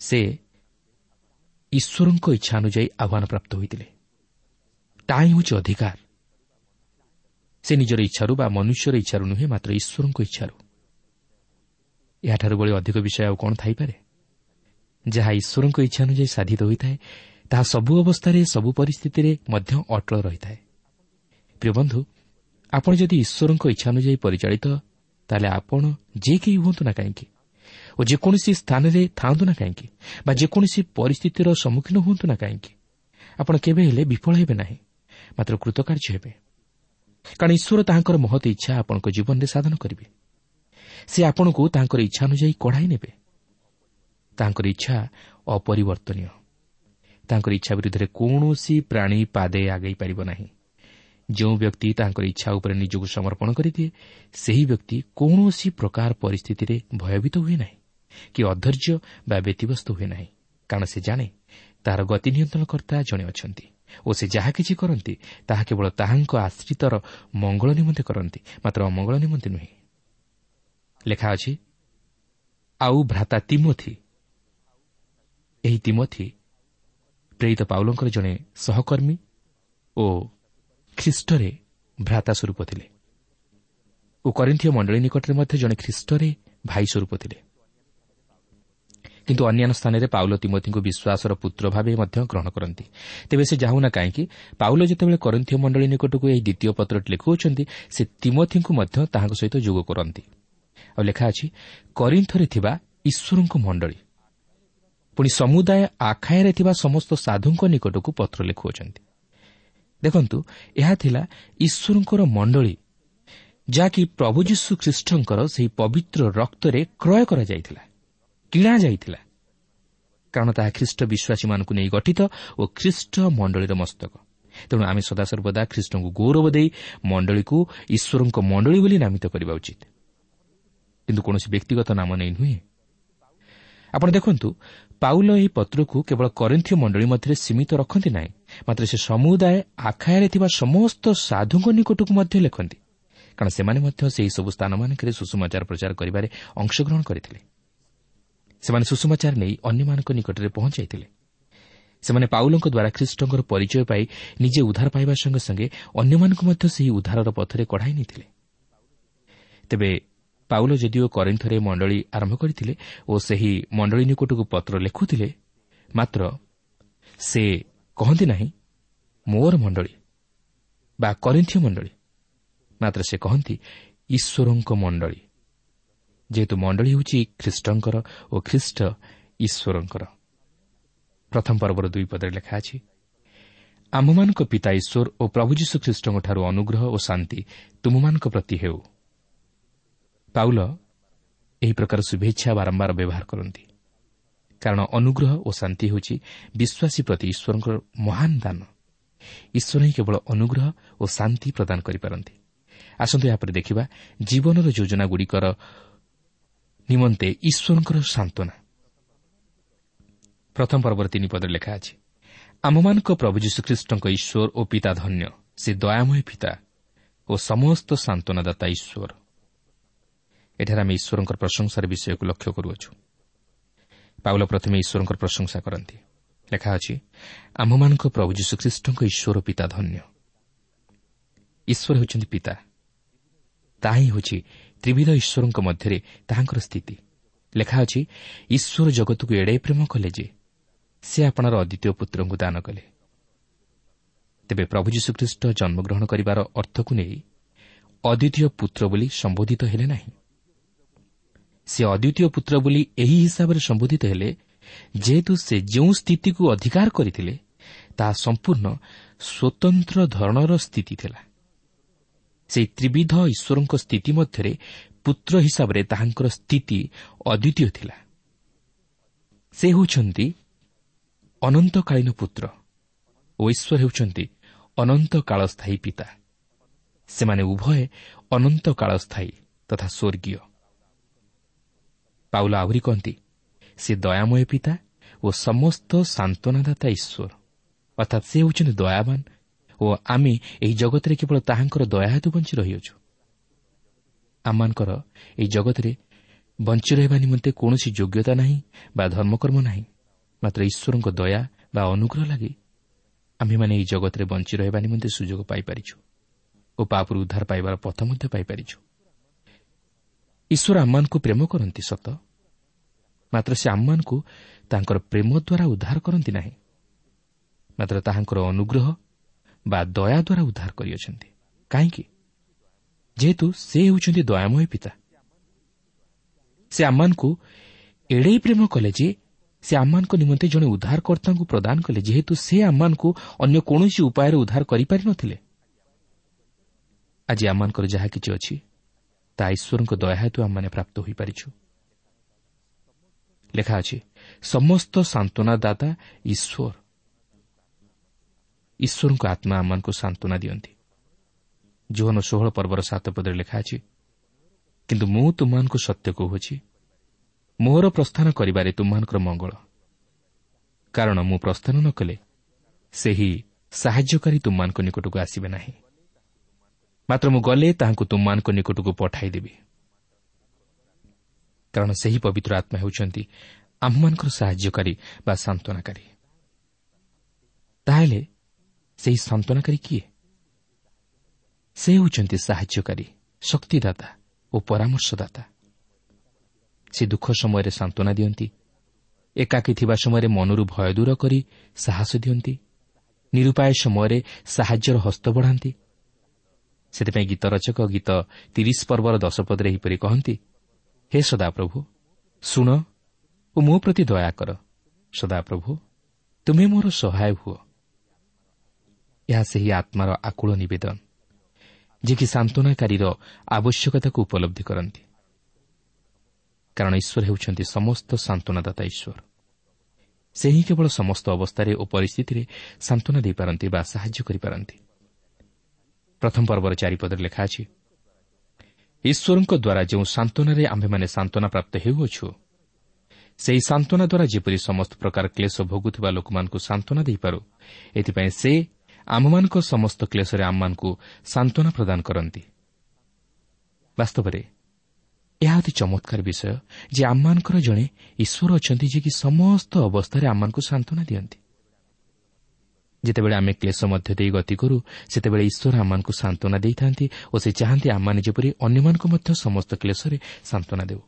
S3: ସେ ଈଶ୍ୱରଙ୍କ ଇଚ୍ଛା ଅନୁଯାୟୀ ଆହ୍ୱାନ ପ୍ରାପ୍ତ ହୋଇଥିଲେ। ତାହା ହିଁ ହେଉଛି ଅଧିକାର। ସେ ନିଜର ଇଚ୍ଛାରୁ ବା ମନୁଷ୍ୟର ଇଚ୍ଛାରୁ ନୁହେଁ, ମାତ୍ର ଈଶ୍ୱରଙ୍କ ଇଚ୍ଛାରୁ। ଏହାଠାରୁ ଭଳି ଅଧିକ ବିଷୟ ଆଉ କ'ଣ ଥାଇପାରେ? ଯାହା ଈଶ୍ୱରଙ୍କ ଇଚ୍ଛା ଅନୁଯାୟୀ ସାଧିତ ହୋଇଥାଏ, ତାହା ସବୁ ଅବସ୍ଥାରେ, ସବୁ ପରିସ୍ଥିତିରେ ମଧ୍ୟ ଅଟଳ ରହିଥାଏ। ପ୍ରିୟ ବନ୍ଧୁ, ଆପଣ ଯଦି ଈଶ୍ୱରଙ୍କ ଇଚ୍ଛା ଅନୁଯାୟୀ ପରିଚାଳିତ, ତାହେଲେ ଆପଣ ଯେ କେହି ହୁଅନ୍ତୁ ନା କାହିଁକି ଓ ଯେକୌଣସି ସ୍ଥାନରେ ଥାଆନ୍ତୁ ନା କାହିଁକି ବା ଯେକୌଣସି ପରିସ୍ଥିତିର ସମ୍ମୁଖୀନ ହୁଅନ୍ତୁ ନା କାହିଁକି, ଆପଣ କେବେ ହେଲେ ବିଫଳ ହେବେ ନାହିଁ, ମାତ୍ର କୃତକାର୍ଯ୍ୟ ହେବେ। କାରଣ ଈଶ୍ୱର ତାହାଙ୍କର ମହତ୍ ଇଚ୍ଛା ଆପଣଙ୍କ ଜୀବନରେ ସାଧନ କରିବେ। ସେ ଆପଣଙ୍କୁ ତାଙ୍କର ଇଚ୍ଛା ଅନୁଯାୟୀ କଢ଼ାଇ ନେବେ। ତାଙ୍କର ଇଚ୍ଛା ଅପରିବର୍ତ୍ତନୀୟ। ତାଙ୍କର ଇଚ୍ଛା ବିରୁଦ୍ଧରେ କୌଣସି ପ୍ରାଣୀ ପାଦେ ଆଗେଇ ପାରିବ ନାହିଁ। ଯେଉଁ ବ୍ୟକ୍ତି ତାଙ୍କର ଇଚ୍ଛା ଉପରେ ନିଜକୁ ସମର୍ପଣ କରିଦିଏ, ସେହି ବ୍ୟକ୍ତି କୌଣସି ପ୍ରକାର ପରିସ୍ଥିତିରେ ଭୟଭୀତ ହୁଏ ନାହିଁ କି ଅଧୈର୍ଯ୍ୟ ବା ବ୍ୟତିବ୍ୟସ୍ତ ହୁଏ ନାହିଁ। କାରଣ ସେ ଜାଣେ ତାହାର ଗତି ନିୟନ୍ତ୍ରଣକର୍ତ୍ତା ଜଣେ ଅଛନ୍ତି ଓ ସେ ଯାହା କିଛି କରନ୍ତି ତାହା କେବଳ ତାହାଙ୍କ ଆଶ୍ରିତର ମଙ୍ଗଳ ନିମନ୍ତେ କରନ୍ତି, ମାତ୍ର ଅମଙ୍ଗଳ ନିମନ୍ତେ ନୁହେଁ। ଲେଖା ଅଛି, ଆଉ ଭ୍ରାତା ତିମୋଥି। ଏହି ତିମୋଥି ପ୍ରେରିତ ପାଉଲଙ୍କର ଜଣେ ସହକର୍ମୀ ଓ ଖ୍ରୀଷ୍ଟରେ ଭ୍ରାତା ସ୍ୱରୂପ ଥିଲେ ଓ କରିନ୍ଥୀୟ ମଣ୍ଡଳୀ ନିକଟରେ ମଧ୍ୟ ଜଣେ ଖ୍ରୀଷ୍ଟରେ ଭାଇ ସ୍ୱରୂପ ଥିଲେ। କିନ୍ତୁ ଅନ୍ୟାନ୍ୟ ସ୍ଥାନରେ ପାଉଲ ତିମୋଥିଙ୍କୁ ବିଶ୍ୱାସର ପୁତ୍ର ଭାବେ ମଧ୍ୟ ଗ୍ରହଣ କରନ୍ତି। ତେବେ ସେ ଯାହୁନା କାହିଁକି, ପାଉଲ ଯେତେବେଳେ କରିନ୍ଥୀୟ ମଣ୍ଡଳୀ ନିକଟକୁ ଏହି ଦ୍ୱିତୀୟ ପତ୍ରଟି ଲେଖୁଅଛନ୍ତି, ସେ ତିମୋଥିଙ୍କୁ ମଧ୍ୟ ତାହାଙ୍କ ସହିତ ଯୋଗ କରନ୍ତି। ଆଉ ଲେଖା ଅଛି, କରିନ୍ଥରେ ଥିବା ଈଶ୍ୱରଙ୍କ ମଣ୍ଡଳୀ, ପୁଣି ସମୁଦାୟ ଆଖାୟାରେ ଥିବା ସମସ୍ତ ସାଧୁଙ୍କ ନିକଟକୁ ପତ୍ର ଲେଖୁଅଛନ୍ତି। ଦେଖନ୍ତୁ, ଏହା ଥିଲା ଈଶ୍ୱରଙ୍କର ମଣ୍ଡଳୀ, ଯାହାକି ପ୍ରଭୁ ଯୀଶୁ ଖ୍ରୀଷ୍ଟଙ୍କର ସେହି ପବିତ୍ର ରକ୍ତରେ କ୍ରୟ କରାଯାଇଥିଲା, କିଣାଯାଇଥିଲା। କାରଣ ତାହା ଖ୍ରୀଷ୍ଟ ବିଶ୍ୱାସୀମାନଙ୍କୁ ନେଇ ଗଠିତ ଓ ଖ୍ରୀଷ୍ଟ ମଣ୍ଡଳୀର ମସ୍ତକ। ତେଣୁ ଆମେ ସଦାସର୍ବଦା ଖ୍ରୀଷ୍ଟଙ୍କୁ ଗୌରବ ଦେଇ ମଣ୍ଡଳୀକୁ ଈଶ୍ୱରଙ୍କ ମଣ୍ଡଳୀ ବୋଲି ନାମିତ କରିବା ଉଚିତ, କିନ୍ତୁ କୌଣସି ବ୍ୟକ୍ତିଗତ ନାମ ନେଇ ନୁହେଁ। ଆପଣ ଦେଖନ୍ତୁ, ପାଉଲ ଏହି ପତ୍ରକୁ କେବଳ କରିନ୍ଥୀୟ ମଣ୍ଡଳୀ ମଧ୍ୟରେ ସୀମିତ ରଖନ୍ତି ନାହିଁ, ମାତ୍ର ସେ ସମୁଦାୟ ଆଖାୟାରେ ଥିବା ସମସ୍ତ ସାଧୁଙ୍କ ନିକଟକୁ ମଧ୍ୟ ଲେଖନ୍ତି, କାରଣ ସେମାନେ ମଧ୍ୟ ସେହିସବୁ ସ୍ଥାନମାନଙ୍କରେ ସୁସମାଚାର ପ୍ରଚାର କରିବାରେ ଅଂଶଗ୍ରହଣ କରିଥିଲେ। ସେମାନେ ସୁସମାଚାର ନେଇ ଅନ୍ୟମାନଙ୍କ ନିକଟରେ ପହଞ୍ଚାଇଥିଲେ। ସେମାନେ ପାଉଲଙ୍କ ଦ୍ୱାରା ଖ୍ରୀଷ୍ଟଙ୍କର ପରିଚୟ ପାଇ ନିଜେ ଉଦ୍ଧାର ପାଇବା ସଙ୍ଗେ ସଙ୍ଗେ ଅନ୍ୟମାନଙ୍କୁ ମଧ୍ୟ ସେହି ଉଦ୍ଧାରର ପଥରେ କଢ଼ାଇ ନେଇଥିଲେ। ତେବେ ପାଉଲ ଯଦିଓ କରିନ୍ଥରେ ମଣ୍ଡଳୀ ଆରମ୍ଭ କରିଥିଲେ ଓ ସେହି ମଣ୍ଡଳୀ ନିକଟକୁ ପତ୍ର ଲେଖୁଥିଲେ, ମାତ୍ର ସେ କହନ୍ତି ନାହିଁ ମୋର ମଣ୍ଡଳୀ ବା କରିନ୍ଥୀୟ ମଣ୍ଡଳୀ, ମାତ୍ର ସେ କହନ୍ତି ଈଶ୍ୱରଙ୍କ ମଣ୍ଡଳୀ। ଯେହେତୁ ମଣ୍ଡଳୀ ହେଉଛି ଖ୍ରୀଷ୍ଟଙ୍କର ଓ ଖ୍ରୀଷ୍ଟ ଈଶ୍ୱରଙ୍କର। ପ୍ରଥମ ପର୍ବର ଦୁଇ ପଦରେ ଲେଖା ଅଛି, ଆମ୍ଭମାନଙ୍କ ପିତା ଈଶ୍ୱର ଓ ପ୍ରଭୁ ଯୀଶୁ ଖ୍ରୀଷ୍ଟଙ୍କଠାରୁ ଅନୁଗ୍ରହ ଓ ଶାନ୍ତି ତୁମମାନଙ୍କ ପ୍ରତି ହେଉ। ପାଉଲ ଏହି ପ୍ରକାର ଶୁଭେଚ୍ଛା ବାରମ୍ବାର ବ୍ୟବହାର କରନ୍ତି, କାରଣ ଅନୁଗ୍ରହ ଓ ଶାନ୍ତି ହେଉଛି ବିଶ୍ୱାସୀ ପ୍ରତି ଈଶ୍ୱରଙ୍କର ମହାନ ଦାନ। ଈଶ୍ୱର ହିଁ କେବଳ ଅନୁଗ୍ରହ ଓ ଶାନ୍ତି ପ୍ରଦାନ କରିପାରନ୍ତି। ଆସନ୍ତୁ ଏହାପରେ ଦେଖିବା ଜୀବନର ଯୋଜନାଗୁଡ଼ିକର ନିମନ୍ତେ ଈଶ୍ୱରଙ୍କର ସାନ୍ତ୍ୱନା। ପ୍ରଥମ ପର୍ବର ତିନି ପଦରେ ଲେଖା ଅଛି, ଆମ୍ଭମାନଙ୍କ ପ୍ରଭୁ ଯୀଶୁଖ୍ରୀଷ୍ଟଙ୍କ ଈଶ୍ୱର ଓ ପିତା ଧନ୍ୟ, ସେ ଦୟାମୟ ପିତା ଓ ସମସ୍ତ ସାନ୍ତ୍ୱନାଦାତା ଈଶ୍ୱର। ଏଠାରେ ଆମେ ଈଶ୍ୱରଙ୍କର ପ୍ରଶଂସାର ବିଷୟକୁ ଲକ୍ଷ୍ୟ କରୁଅଛୁ। ପାଉଲ ପ୍ରଥମେ ଈଶ୍ୱରଙ୍କର ପ୍ରଶଂସା କରନ୍ତି। ଲେଖା ଅଛି, ଆମ୍ଭମାନଙ୍କ ପ୍ରଭୁ ଯୀଶୁଖ୍ରୀଷ୍ଟଙ୍କ ଈଶ୍ୱର ପିତା ଧନ୍ୟ। ଈଶ୍ୱର ହେଉଛନ୍ତି ପିତା, ତାହା ହିଁ ହେଉଛି ତ୍ରିବିଧ ଈଶ୍ୱରଙ୍କ ମଧ୍ୟରେ ତାହାଙ୍କର ସ୍ଥିତି। ଲେଖା ଅଛି, ଈଶ୍ୱର ଜଗତକୁ ଏଡ଼େ ପ୍ରେମ କଲେ ଯେ ସେ ଆପଣାର ଅଦ୍ୱିତୀୟ ପୁତ୍ରଙ୍କୁ ଦାନ କଲେ। ତେବେ ପ୍ରଭୁ ଯୀଶୁଖ୍ରୀଷ୍ଟ ଜନ୍ମଗ୍ରହଣ କରିବାର ଅର୍ଥକୁ ନେଇ ଅଦ୍ୱିତୀୟ ପୁତ୍ର ବୋଲି ସମ୍ବୋଧିତ ହେଲେ ନାହିଁ। ସେ ଅଦ୍ୱିତୀୟ ପୁତ୍ର ବୋଲି ଏହି ହିସାବରେ ସମ୍ବୋଧିତ ହେଲେ, ଯେହେତୁ ସେ ଯେଉଁ ସ୍ଥିତିକୁ ଅଧିକାର କରିଥିଲେ ତାହା ସମ୍ପୂର୍ଣ୍ଣ ସ୍ୱତନ୍ତ୍ର ଧରଣର ସ୍ଥିତି ଥିଲା। ସେହି ତ୍ରିବିଧ ଈଶ୍ୱରଙ୍କ ସ୍ଥିତି ମଧ୍ୟରେ ପୁତ୍ର ହିସାବରେ ତାହାଙ୍କର ସ୍ଥିତି ଅଦ୍ୱିତୀୟ ଥିଲା। ସେ ହେଉଛନ୍ତି ଅନନ୍ତକାଳୀନ ପୁତ୍ର ଓ ଈଶ୍ୱର ହେଉଛନ୍ତି ଅନନ୍ତକାଳସ୍ଥାୟୀ ପିତା। ସେମାନେ ଉଭୟେ ଅନନ୍ତକାଳସ୍ଥାୟୀ ତଥା ସ୍ୱର୍ଗୀୟ। ପାଉଲ ଆହୁରି କହନ୍ତି, ସେ ଦୟାମୟ ପିତା ଓ ସମସ୍ତ ସାନ୍ତ୍ୱନାଦାତା ଈଶ୍ୱର, ଅର୍ଥାତ୍ ସେ ହେଉଛନ୍ତି ଦୟାବାନ ଓ ଆମେ ଏହି ଜଗତରେ କେବଳ ତାହାଙ୍କର ଦୟା ହେତୁ ବଞ୍ଚି ରହିଅଛୁ। ଆମମାନଙ୍କର ଏହି ଜଗତରେ ବଞ୍ଚି ରହିବା ନିମନ୍ତେ କୌଣସି ଯୋଗ୍ୟତା ନାହିଁ ବା ଧର୍ମକର୍ମ ନାହିଁ, ମାତ୍ର ଈଶ୍ୱରଙ୍କ ଦୟା ବା ଅନୁଗ୍ରହ ଲାଗି ଆମ୍ଭେମାନେ ଏହି ଜଗତରେ ବଞ୍ଚି ରହିବା ନିମନ୍ତେ ସୁଯୋଗ ପାଇପାରିଛୁ ଓ ପାପରୁ ଉଦ୍ଧାର ପାଇବାର ପଥ ମଧ୍ୟ ପାଇପାରିଛୁ। ଈଶ୍ୱର ଆମମାନଙ୍କୁ ପ୍ରେମ କରନ୍ତି ସତ, ମାତ୍ର ସେ ଆମମାନଙ୍କୁ ତାଙ୍କର ପ୍ରେମ ଦ୍ୱାରା ଉଦ୍ଧାର କରନ୍ତି ନାହିଁ, ମାତ୍ର ତାହାଙ୍କର ଅନୁଗ୍ରହ ବା ଦୟା ଦ୍ୱାରା ଉଦ୍ଧାର କରିଅଛନ୍ତି। କାହିଁକି? ଯେହେତୁ ସେ ହେଉଛନ୍ତି ଦୟାମୟ ପିତା। ସେ ଆମମାନଙ୍କୁ ଏଡ଼େଇ ପ୍ରେମ କଲେ ଯେ ସେ ଆମମାନଙ୍କ ନିମନ୍ତେ ଜଣେ ଉଦ୍ଧାରକର୍ତ୍ତାଙ୍କୁ ପ୍ରଦାନ କଲେ, ଯେହେତୁ ସେ ଆମମାନଙ୍କୁ ଅନ୍ୟ କୌଣସି ଉପାୟରେ ଉଦ୍ଧାର କରିପାରିନଥିଲେ। ଆଜି ଆମମାନଙ୍କର ଯାହା କିଛି ଅଛି ତାହା ଈଶ୍ୱରଙ୍କ ଦୟା ହେତୁ ଆମମାନେ ପ୍ରାପ୍ତ ହୋଇପାରିଛୁ। ଲେଖା ଅଛି, ସମସ୍ତ ସାନ୍ତ୍ୱନାଦାତା ଈଶ୍ୱର। ଈଶ୍ୱରଙ୍କ ଆତ୍ମା ଆମମାନଙ୍କୁ ସାନ୍ତ୍ୱନା ଦିଅନ୍ତି। ଯୋହନ ଷୋହଳ ପର୍ବର ସାତ ପଦରେ ଲେଖା ଅଛି, କିନ୍ତୁ ମୁଁ ତୁମମାନଙ୍କୁ ସତ୍ୟ କହୁଅଛି, ମୋର ପ୍ରସ୍ଥାନ କରିବାରେ ତୁମମାନଙ୍କର ମଙ୍ଗଳ, କାରଣ ମୁଁ ପ୍ରସ୍ଥାନ ନ କଲେ ସେହି ସାହାଯ୍ୟକାରୀ ତୁମମାନଙ୍କ ନିକଟକୁ ଆସିବେ ନାହିଁ, ମାତ୍ର ମୁଁ ଗଲେ ତାହାଙ୍କୁ ତୁମମାନଙ୍କ ନିକଟକୁ ପଠାଇଦେବି। କାରଣ ସେହି ପବିତ୍ର ଆତ୍ମା ହେଉଛନ୍ତି ଆମ୍ଭମାନଙ୍କର ସାହାଯ୍ୟକାରୀ ବା ସାନ୍ତ୍ୱନାକାରୀ। ତାହେଲେ ସେହି ସାନ୍ତ୍ୱନାକାରୀ କିଏ? ସେ ହେଉଛନ୍ତି ସାହାଯ୍ୟକାରୀ, ଶକ୍ତିଦାତା ଓ ପରାମର୍ଶଦାତା। ସେ ଦୁଃଖ ସମୟରେ ସାନ୍ତ୍ୱନା ଦିଅନ୍ତି, ଏକାକୀ ଥିବା ସମୟରେ ମନରୁ ଭୟ ଦୂର କରି ସାହସ ଦିଅନ୍ତି, ନିରୁପାୟ ସମୟରେ ସାହାଯ୍ୟର ହସ୍ତ ବଢ଼ାନ୍ତି। ସେଥିପାଇଁ ଗୀତ ରଚକ ଗୀତ ତିରିଶ ପର୍ବର ଦଶ ପଦରେ ଏହିପରି କହନ୍ତି, ହେ ସଦାପ୍ରଭୁ, ଶୁଣ ଓ ମୋ ପ୍ରତି ଦୟା କର, ସଦାପ୍ରଭୁ ତୁମେ ମୋର ସହାୟ ହୁଅ। ଏହା ସେହି ଆତ୍ମାର ଆକୁଳ ନିବେଦନ, ଯିଏକି ସାନ୍ତ୍ୱନାକାରୀର ଆବଶ୍ୟକତାକୁ ଉପଲବ୍ଧି କରନ୍ତି। କାରଣ ଈଶ୍ୱର ହେଉଛନ୍ତି ସମସ୍ତ ସାନ୍ତ୍ୱନାଦାତା ଈଶ୍ୱର। ସେ ହିଁ କେବଳ ସମସ୍ତ ଅବସ୍ଥାରେ ଓ ପରିସ୍ଥିତିରେ ସାନ୍ତ୍ୱନା ଦେଇପାରନ୍ତି ବା ସାହାଯ୍ୟ କରିପାରନ୍ତି। ପ୍ରଥମ ପର୍ବର ଚାରିପଦରେ ଲେଖା ଅଛି, ଈଶ୍ୱରଙ୍କ ଦ୍ୱାରା ଯେଉଁ ସାନ୍ତ୍ୱନାରେ ଆମ୍ଭେମାନେ ସାନ୍ତ୍ୱନା ପ୍ରାପ୍ତ ହେଉଅଛୁ, ସେହି ସାନ୍ତ୍ୱନା ଦ୍ୱାରା ଯେପରି ସମସ୍ତ ପ୍ରକାର କ୍ଲେଶ ଭୋଗୁଥିବା ଲୋକମାନଙ୍କୁ ସାନ୍ତ୍ୱନା ଦେଇପାରୁ, ଏଥିପାଇଁ ସେ ଆମ୍ଭମାନଙ୍କ ସମସ୍ତ କ୍ଲେଶରେ ଆମମାନଙ୍କୁ ସାନ୍ତ୍ୱନା ପ୍ରଦାନ କରନ୍ତି। ବାସ୍ତବରେ ଏହା ଅତି ଚମତ୍କାର ବିଷୟ ଯେ ଆମମାନଙ୍କର ଜଣେ ଈଶ୍ୱର ଅଛନ୍ତି, ଯିଏକି ସମସ୍ତ ଅବସ୍ଥାରେ ଆମମାନଙ୍କୁ ସାନ୍ତ୍ୱନା ଦିଅନ୍ତି। ଯେତେବେଳେ ଆମେ କ୍ଲେଶ ମଧ୍ୟ ଦେଇ ଗତି କରୁ, ସେତେବେଳେ ଈଶ୍ୱର ଆମମାନଙ୍କୁ ସାନ୍ତ୍ୱନା ଦେଇଥାନ୍ତି ଓ ସେ ଚାହାନ୍ତି ଆମମାନେ ଯେପରି ଅନ୍ୟମାନଙ୍କୁ ମଧ୍ୟ ସମସ୍ତ କ୍ଲେଶରେ ସାନ୍ତ୍ୱନା ଦେଉ।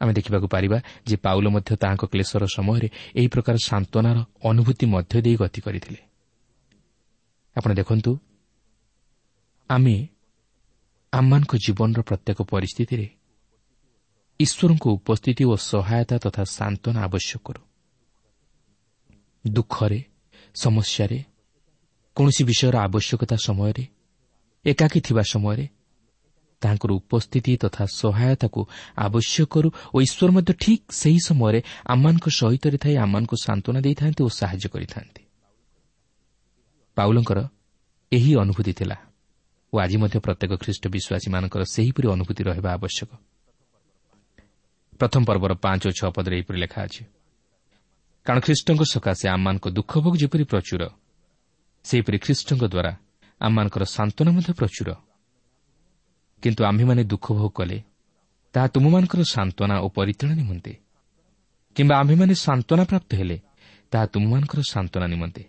S3: ଆମେ ଦେଖିବାକୁ ପାରିବା ଯେ ପାଉଲ ମଧ୍ୟ ତାହାଙ୍କ କ୍ଲେଶର ସମୟରେ ଏହି ପ୍ରକାର ସାନ୍ତ୍ୱନାର ଅନୁଭୂତି ମଧ୍ୟ ଦେଇ ଗତି କରିଥିଲେ। ଆପଣ ଦେଖନ୍ତୁ, ଆମେ ଆମମାନଙ୍କ ଜୀବନର ପ୍ରତ୍ୟେକ ପରିସ୍ଥିତିରେ ଈଶ୍ୱରଙ୍କ ଉପସ୍ଥିତି ଓ ସହାୟତା ତଥା ସାନ୍ତ୍ୱନା ଆବଶ୍ୟକ କରୁ। ଦୁଃଖରେ, ସମସ୍ୟାରେ, କୌଣସି ବିଷୟର ଆବଶ୍ୟକତା ସମୟରେ, ଏକାକୀ ଥିବା ସମୟରେ ତାହାଙ୍କର ଉପସ୍ଥିତି ତଥା ସହାୟତାକୁ ଆବଶ୍ୟକ କରୁ ଓ ଈଶ୍ୱର ମଧ୍ୟ ଠିକ୍ ସେହି ସମୟରେ ଆମମାନଙ୍କ ସହିତ ଥାଇ ଆମମାନଙ୍କୁ ସାନ୍ତ୍ୱନା ଦେଇଥାନ୍ତି ଓ ସାହାଯ୍ୟ କରିଥାନ୍ତି। ପାଉଲଙ୍କର ଏହି ଅନୁଭୂତି ଥିଲା ଓ ଆଜି ମଧ୍ୟ ପ୍ରତ୍ୟେକ ଖ୍ରୀଷ୍ଟ ବିଶ୍ୱାସୀମାନଙ୍କର ସେହିପରି ଅନୁଭୂତି ରହିବା ଆବଶ୍ୟକ। ପ୍ରଥମ ପର୍ବର ପାଞ୍ଚ ଓ ଛଅ ପଦରେ ଏହିପରି ଲେଖା ଅଛି, କାରଣ ଖ୍ରୀଷ୍ଟଙ୍କ ସକାଶେ ଆମମାନଙ୍କ ଦୁଃଖ ଭୋଗ ଯେପରି ପ୍ରଚୁର, ସେହିପରି ଖ୍ରୀଷ୍ଟଙ୍କ ଦ୍ୱାରା ଆମମାନଙ୍କର ସାନ୍ତ୍ୱନା ମଧ୍ୟ ପ୍ରଚୁର। କିନ୍ତୁ ଆମ୍ଭେମାନେ ଦୁଃଖ ଭୋଗ କଲେ ତାହା ତୁମମାନଙ୍କର ସାନ୍ତ୍ୱନା ଓ ପରିତ୍ରାଣ ନିମନ୍ତେ, କିମ୍ବା ଆମ୍ଭେମାନେ ସାନ୍ତ୍ୱନା ପ୍ରାପ୍ତ ହେଲେ ତାହା ତୁମମାନଙ୍କର ସାନ୍ତ୍ୱନା ନିମନ୍ତେ।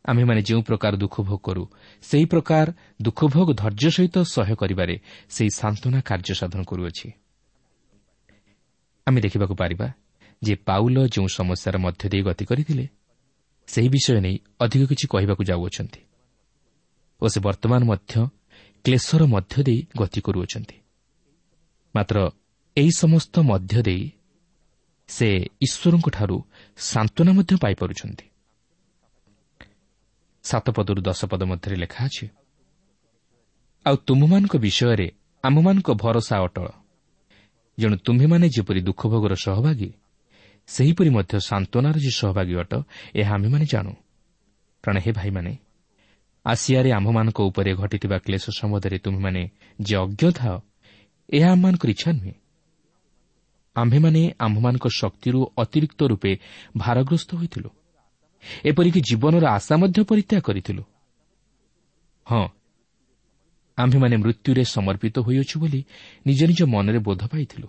S3: ଆମ୍ଭେମାନେ ଯେଉଁ ପ୍ରକାର ଦୁଃଖ ଭୋଗ କରୁ, ସେହି ପ୍ରକାର ଦୁଃଖ ଭୋଗ ଧୈର୍ଯ୍ୟ ସହିତ ସହ୍ୟ କରିବାରେ ସେହି ସାନ୍ତ୍ୱନା କାର୍ଯ୍ୟ ସାଧନ କରୁଅଛି। ଆମେ ଦେଖିବାକୁ ପାରିବା ଯେ ପାଉଲ ଯେଉଁ ସମସ୍ୟାର ମଧ୍ୟ ଦେଇ ଗତି କରିଥିଲେ, ସେହି ବିଷୟ ନେଇ ଅଧିକ କିଛି କହିବାକୁ ଯାଉଅଛନ୍ତି ଓ ସେ ବର୍ତ୍ତମାନ ମଧ୍ୟ କ୍ଲେଶର ମଧ୍ୟ ଦେଇ ଗତି କରୁଅଛନ୍ତି। ମାତ୍ର ଏହି ସମସ୍ତ ମଧ୍ୟ ଦେଇ ସେ ଈଶ୍ୱରଙ୍କଠାରୁ ସାନ୍ତ୍ୱନା ମଧ୍ୟ ପାଇପାରୁଛନ୍ତି। ସାତ ପଦରୁ ଦଶ ପଦ ମଧ୍ୟରେ ଲେଖା ଅଛି, ଆଉ ତୁମମାନଙ୍କ ବିଷୟରେ ଆମ୍ଭମାନଙ୍କ ଭରସା ଅଟଳ, ଯେଣୁ ତୁମ୍ଭେମାନେ ଯେପରି ଦୁଃଖ ଭୋଗର ସହଭାଗୀ, ସେହିପରି ମଧ୍ୟ ସାନ୍ତ୍ୱନାର ଯେ ସହଭାଗୀ ଅଟ, ଏହା ଆମ୍ଭେମାନେ ଜାଣୁ। କାରଣ ହେ ଭାଇମାନେ, ଆସିଆରେ ଆମ୍ଭମାନଙ୍କ ଉପରେ ଘଟିଥିବା କ୍ଲେଶ ସମ୍ବନ୍ଧରେ ତୁମ୍ଭେମାନେ ଯେ ଅଜ୍ଞ ଥାଅ, ଏହା ଆମ୍ଭମାନଙ୍କର ଇଚ୍ଛା ନୁହେଁ। ଆମ୍ଭେମାନେ ଆମ୍ଭମାନଙ୍କ ଶକ୍ତିରୁ ଅତିରିକ୍ତ ରୂପେ ଭାରଗ୍ରସ୍ତ ହୋଇଥିଲୁ, ଏପରିକି ଜୀବନର ଆଶା ମଧ୍ୟ ପରିତ୍ୟାଗ କରିଥିଲୁ। ହଁ, ଆମ୍ଭେମାନେ ମୃତ୍ୟୁରେ ସମର୍ପିତ ହୋଇଅଛୁ ବୋଲି ନିଜ ନିଜ ମନରେ ବୋଧ ପାଇଥିଲୁ,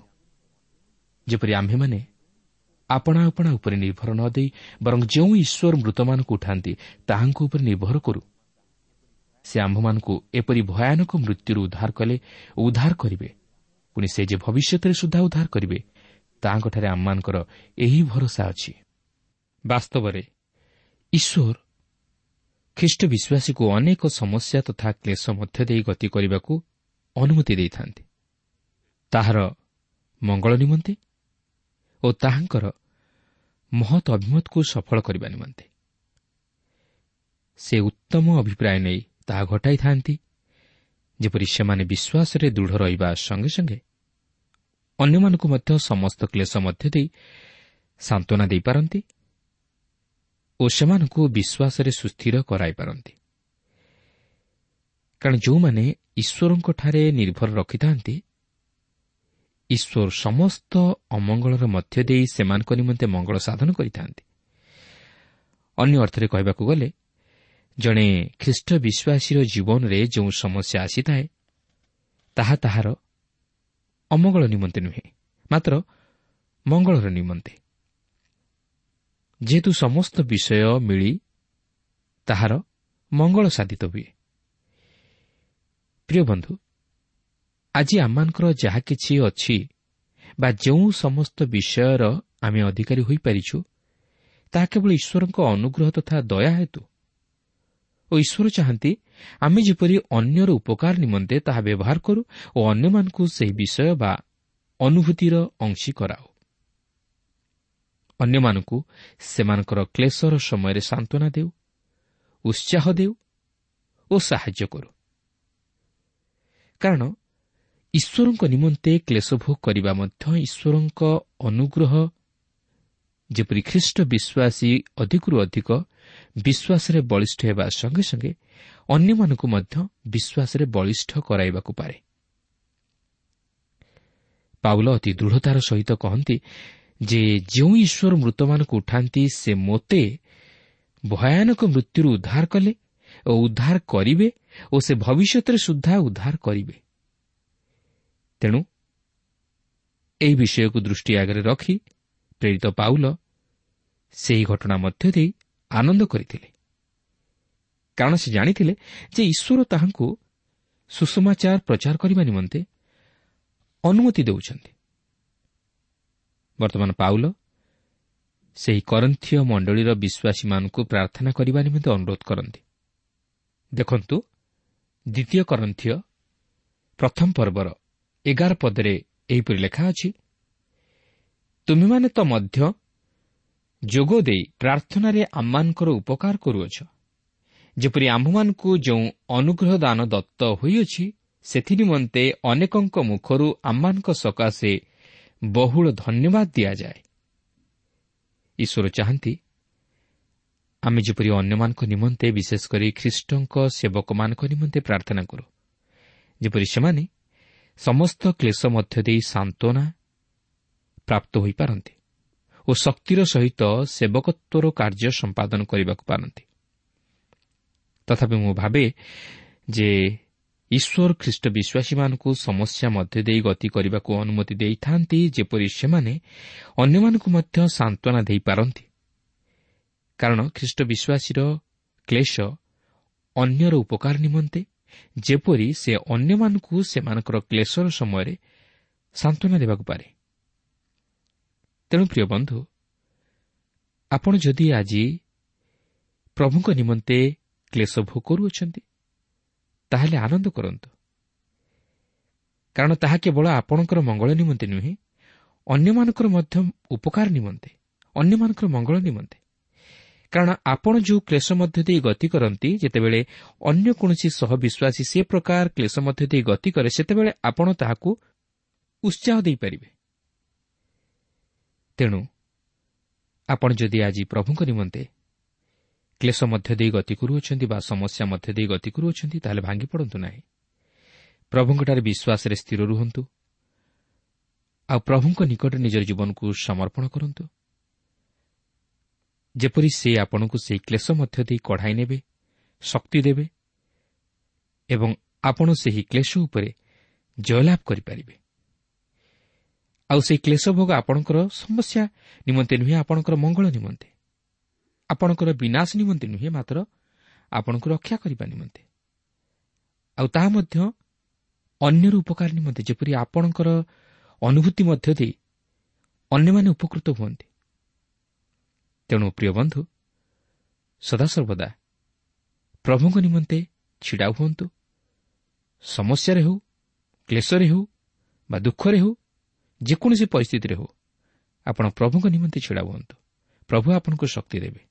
S3: ଯେପରି ଆମ୍ଭେମାନେ ଆପଣା ଆପଣା ଉପରେ ନିର୍ଭର ନ ଦେଇ ବରଂ ଯେଉଁ ଈଶ୍ୱର ମୃତମାନଙ୍କୁ ଉଠାନ୍ତି ତାହାଙ୍କ ଉପରେ ନିର୍ଭର କରୁ। ସେ ଆମ୍ଭମାନଙ୍କୁ ଏପରି ଭୟାନକ ମୃତ୍ୟୁରୁ ଉଦ୍ଧାର କଲେ ଓ ଉଦ୍ଧାର କରିବେ, ପୁଣି ସେ ଯେ ଭବିଷ୍ୟତରେ ସୁଦ୍ଧା ଉଦ୍ଧାର କରିବେ, ତାହାଙ୍କଠାରେ ଆମମାନଙ୍କର ଏହି ଭରସା ଅଛି। ବାସ୍ତବରେ ଈଶ୍ୱର ଖ୍ରୀଷ୍ଟ ବିଶ୍ୱାସୀକୁ ଅନେକ ସମସ୍ୟା ତଥା କ୍ଲେଶ ମଧ୍ୟ ଦେଇ ଗତି କରିବାକୁ ଅନୁମତି ଦେଇଥାନ୍ତି, ତାହାର ମଙ୍ଗଳ ନିମନ୍ତେ ଓ ତାହାଙ୍କର ମହତ୍ ଅଭିମତକୁ ସଫଳ କରିବା ନିମନ୍ତେ। ସେ ଉତ୍ତମ ଅଭିପ୍ରାୟ ନେଇ ତାହା ଘଟାଇଥାନ୍ତି, ଯେପରି ସେମାନେ ବିଶ୍ୱାସରେ ଦୃଢ଼ ରହିବା ସଙ୍ଗେ ସଙ୍ଗେ ଅନ୍ୟମାନଙ୍କୁ ମଧ୍ୟ ସମସ୍ତ କ୍ଲେଶ ମଧ୍ୟ ଦେଇ ସାନ୍ତ୍ୱନା ଦେଇପାରନ୍ତି ଓ ସେମାନଙ୍କୁ ବିଶ୍ୱାସରେ ସୁସ୍ଥିର କରାଇପାରନ୍ତି। କାରଣ ଯେଉଁମାନେ ଈଶ୍ୱରଙ୍କଠାରେ ନିର୍ଭର ରଖିଥାନ୍ତି, ଈଶ୍ୱର ସମସ୍ତ ଅମଙ୍ଗଳର ମଧ୍ୟ ଦେଇ ସେମାନଙ୍କ ନିମନ୍ତେ ମଙ୍ଗଳ ସାଧନ କରିଥାନ୍ତି। ଅନ୍ୟ ଅର୍ଥରେ କହିବାକୁ ଗଲେ, ଜଣେ ଖ୍ରୀଷ୍ଟ ବିଶ୍ୱାସୀର ଜୀବନରେ ଯେଉଁ ସମସ୍ୟା ଆସିଥାଏ ତାହା ତାହାର ଅମଙ୍ଗଳ ନିମନ୍ତେ ନୁହେଁ, ମାତ୍ର ମଙ୍ଗଳର ନିମନ୍ତେ। ଯେହେତୁ ସମସ୍ତ ବିଷୟ ମିଳି ତାହାର ମଙ୍ଗଳ ସାଧିତ ହୁଏ। ପ୍ରିୟ ବନ୍ଧୁ, ଆଜି ଆମମାନଙ୍କର ଯାହା କିଛି ଅଛି ବା ଯେଉଁ ସମସ୍ତ ବିଷୟର ଆମେ ଅଧିକାରୀ ହୋଇପାରିଛୁ, ତାହା କେବଳ ଈଶ୍ୱରଙ୍କ ଅନୁଗ୍ରହ ତଥା ଦୟା ହେତୁ ଓ ଈଶ୍ୱର ଚାହାନ୍ତି ଆମେ ଯେପରି ଅନ୍ୟର ଉପକାର ନିମନ୍ତେ ତାହା ବ୍ୟବହାର କରୁ ଓ ଅନ୍ୟମାନଙ୍କୁ ସେହି ବିଷୟ ବା ଅନୁଭୂତିର ଅଂଶୀ କରାଉ। ଅନ୍ୟମାନଙ୍କୁ ସେମାନଙ୍କର କ୍ଲେଶର ସମୟରେ ସାନ୍ତ୍ୱନା ଦେଉ, ଉତ୍ସାହ ଦେଉ ଓ ସାହାଯ୍ୟ କରୁ। କାରଣ ଈଶ୍ୱରଙ୍କ ନିମନ୍ତେ କ୍ଲେଶ ଭୋଗ କରିବା ମଧ୍ୟ ଈଶ୍ୱରଙ୍କ ଅନୁଗ୍ରହ, ଯେପରି ଖ୍ରୀଷ୍ଟ ବିଶ୍ୱାସୀ ଅଧିକରୁ ଅଧିକ ବିଶ୍ୱାସରେ ବଳିଷ୍ଠ ହେବା ସଙ୍ଗେ ସଙ୍ଗେ ଅନ୍ୟମାନଙ୍କୁ ମଧ୍ୟ ବିଶ୍ୱାସରେ ବଳିଷ୍ଠ କରାଇବାକୁ ପାରେ। ପାଉଲ ଅତି ଦୃଢ଼ତାର ସହିତ କହନ୍ତି ଯେ ଯେଉଁ ଈଶ୍ୱର ମୃତମାନଙ୍କୁ ଉଠାନ୍ତି, ସେ ମୋତେ ଭୟାନକ ମୃତ୍ୟୁରୁ ଉଦ୍ଧାର କଲେ ଓ ଉଦ୍ଧାର କରିବେ ଓ ସେ ଭବିଷ୍ୟତରେ ସୁଦ୍ଧା ଉଦ୍ଧାର କରିବେ। ତେଣୁ ଏହି ବିଷୟକୁ ଦୃଷ୍ଟି ଆଗରେ ରଖି ପ୍ରେରିତ ପାଉଲ ସେହି ଘଟଣା ମଧ୍ୟ ଦେଇ ଆନନ୍ଦ କରିଥିଲେ, କାରଣ ସେ ଜାଣିଥିଲେ ଯେ ଈଶ୍ୱର ତାହାଙ୍କୁ ସୁସମାଚାର ପ୍ରଚାର କରିବା ନିମନ୍ତେ ଅନୁମତି ଦେଉଛନ୍ତି। ବର୍ତ୍ତମାନ ପାଉଲ ସେହି କରନ୍ଥୀୟ ମଣ୍ଡଳୀର ବିଶ୍ୱାସୀମାନଙ୍କୁ ପ୍ରାର୍ଥନା କରିବା ନିମନ୍ତେ ଅନୁରୋଧ କରନ୍ତି। ଦେଖନ୍ତୁ, ଦ୍ୱିତୀୟ କରନ୍ଥୀୟ ପ୍ରଥମ ପର୍ବର ଏଗାର ପଦରେ ଏହିପରି ଲେଖା ଅଛି, ତୁମେମାନେ ତ ମଧ୍ୟ ଯୋଗ ଦେଇ ପ୍ରାର୍ଥନାରେ ଆମମାନଙ୍କର ଉପକାର କରୁଅଛ, ଯେପରି ଆମ୍ଭମାନଙ୍କୁ ଯେଉଁ ଅନୁଗ୍ରହ ଦାନ ଦତ୍ତ ହୋଇଅଛି ସେଥିନିମନ୍ତେ ଅନେକଙ୍କ ମୁଖରୁ ଆମମାନଙ୍କ ସକାଶେ ବହୁଳ ଧନ୍ୟବାଦ ଦିଆଯାଏ। ଈଶ୍ୱର ଚାହାନ୍ତି ଆମେ ଯେପରି ଅନ୍ୟମାନଙ୍କ ନିମନ୍ତେ, ବିଶେଷ କରି ଖ୍ରୀଷ୍ଟଙ୍କ ସେବକମାନଙ୍କ ନିମନ୍ତେ ପ୍ରାର୍ଥନା କରୁ, ଯେପରି ସେମାନେ ସମସ୍ତ କ୍ଲେଶ ମଧ୍ୟ ଦେଇ ସାନ୍ତ୍ୱନା ପ୍ରାପ୍ତ ହୋଇପାରନ୍ତି ଓ ଶକ୍ତିର ସହିତ ସେବକତ୍ୱର କାର୍ଯ୍ୟ ସମ୍ପାଦନ କରିବାକୁ ପାରନ୍ତି। ତଥାପି ମୁଁ ଭାବେ ଯେ ଈଶ୍ୱର ଖ୍ରୀଷ୍ଟ ବିଶ୍ୱାସୀମାନଙ୍କୁ ସମସ୍ୟା ମଧ୍ୟ ଦେଇ ଗତି କରିବାକୁ ଅନୁମତି ଦେଇଥାନ୍ତି, ଯେପରି ସେମାନେ ଅନ୍ୟମାନଙ୍କୁ ମଧ୍ୟ ସାନ୍ତ୍ୱନା ଦେଇପାରନ୍ତି। କାରଣ ଖ୍ରୀଷ୍ଟ ବିଶ୍ୱାସୀର କ୍ଲେଶ ଅନ୍ୟର ଉପକାର ନିମନ୍ତେ, ଯେପରି ସେ ଅନ୍ୟମାନଙ୍କୁ ସେମାନଙ୍କର କ୍ଲେଶର ସମୟରେ ସାନ୍ତ୍ୱନା ଦେବାକୁ ପାରେ। ତେଣୁ ପ୍ରିୟ ବନ୍ଧୁ, ଆପଣ ଯଦି ଆଜି ପ୍ରଭୁଙ୍କ ନିମନ୍ତେ କ୍ଲେଶ ଭୋଗ କରୁଅଛନ୍ତି, ତାହେଲେ ଆନନ୍ଦ କରନ୍ତୁ, କାରଣ ତାହା କେବଳ ଆପଣଙ୍କର ମଙ୍ଗଳ ନିମନ୍ତେ ନୁହେଁ, ଅନ୍ୟମାନଙ୍କର ମଧ୍ୟ ଉପକାର ନିମନ୍ତେ, ଅନ୍ୟମାନଙ୍କର ମଙ୍ଗଳ ନିମନ୍ତେ। କାରଣ ଆପଣ ଯେଉଁ କ୍ଲେଶ ମଧ୍ୟ ଦେଇ ଗତି କରନ୍ତି, ଯେତେବେଳେ ଅନ୍ୟ କୌଣସି ସହବିଶ୍ୱାସୀ ସେ ପ୍ରକାର କ୍ଲେଶ ମଧ୍ୟ ଦେଇ ଗତି କରେ, ସେତେବେଳେ ଆପଣ ତାହାକୁ ଉତ୍ସାହ ଦେଇପାରିବେ। ତେଣୁ ଆପଣ ଯଦି ଆଜି ପ୍ରଭୁଙ୍କ ନିମନ୍ତେ କ୍ଲେଶ ମଧ୍ୟ ଦେଇ ଗତି କରୁଅଛନ୍ତି ବା ସମସ୍ୟା ମଧ୍ୟ ଦେଇ ଗତି କରୁଅଛନ୍ତି, ତାହେଲେ ଭାଙ୍ଗି ପଡ଼ନ୍ତୁ ନାହିଁ। ପ୍ରଭୁଙ୍କଠାରେ ବିଶ୍ୱାସରେ ସ୍ଥିର ରୁହନ୍ତୁ ଆଉ ପ୍ରଭୁଙ୍କ ନିକଟରେ ନିଜର ଜୀବନକୁ ସମର୍ପଣ କରନ୍ତୁ, ଯେପରି ସେ ଆପଣଙ୍କୁ ସେହି କ୍ଲେଶ ମଧ୍ୟ ଦେଇ କଢ଼ାଇ ନେବେ, ଶକ୍ତି ଦେବେ ଏବଂ ଆପଣ ସେହି କ୍ଲେଶ ଉପରେ ଜୟଲାଭ କରିପାରିବେ। ଆଉ ସେହି କ୍ଲେଶ ଭୋଗ ଆପଣଙ୍କର ସମସ୍ୟା ନିମନ୍ତେ ନୁହେଁ, ଆପଣଙ୍କର ମଙ୍ଗଳ ନିମନ୍ତେ, ଆପଣଙ୍କର ବିନାଶ ନିମନ୍ତେ ନୁହେଁ, ମାତ୍ର ଆପଣଙ୍କୁ ରକ୍ଷା କରିବା ନିମନ୍ତେ, ଆଉ ତାହା ମଧ୍ୟ ଅନ୍ୟର ଉପକାର ନିମନ୍ତେ, ଯେପରି ଆପଣଙ୍କର ଅନୁଭୂତି ମଧ୍ୟ ଦେଇ ଅନ୍ୟମାନେ ଉପକୃତ ହୁଅନ୍ତି। ତେଣୁ ପ୍ରିୟ ବନ୍ଧୁ, ସଦାସର୍ବଦା ପ୍ରଭୁଙ୍କ ନିମନ୍ତେ ଛିଡ଼ା ହୁଅନ୍ତୁ। ସମସ୍ୟାରେ ହେଉ, କ୍ଲେଶରେ ହେଉ ବା ଦୁଃଖରେ ହେଉ, ଯେକୌଣସି ପରିସ୍ଥିତିରେ ହେଉ, ଆପଣ ପ୍ରଭୁଙ୍କ ନିମନ୍ତେ ଛିଡ଼ା ହୁଅନ୍ତୁ। ପ୍ରଭୁ ଆପଣଙ୍କୁ ଶକ୍ତି ଦେବେ,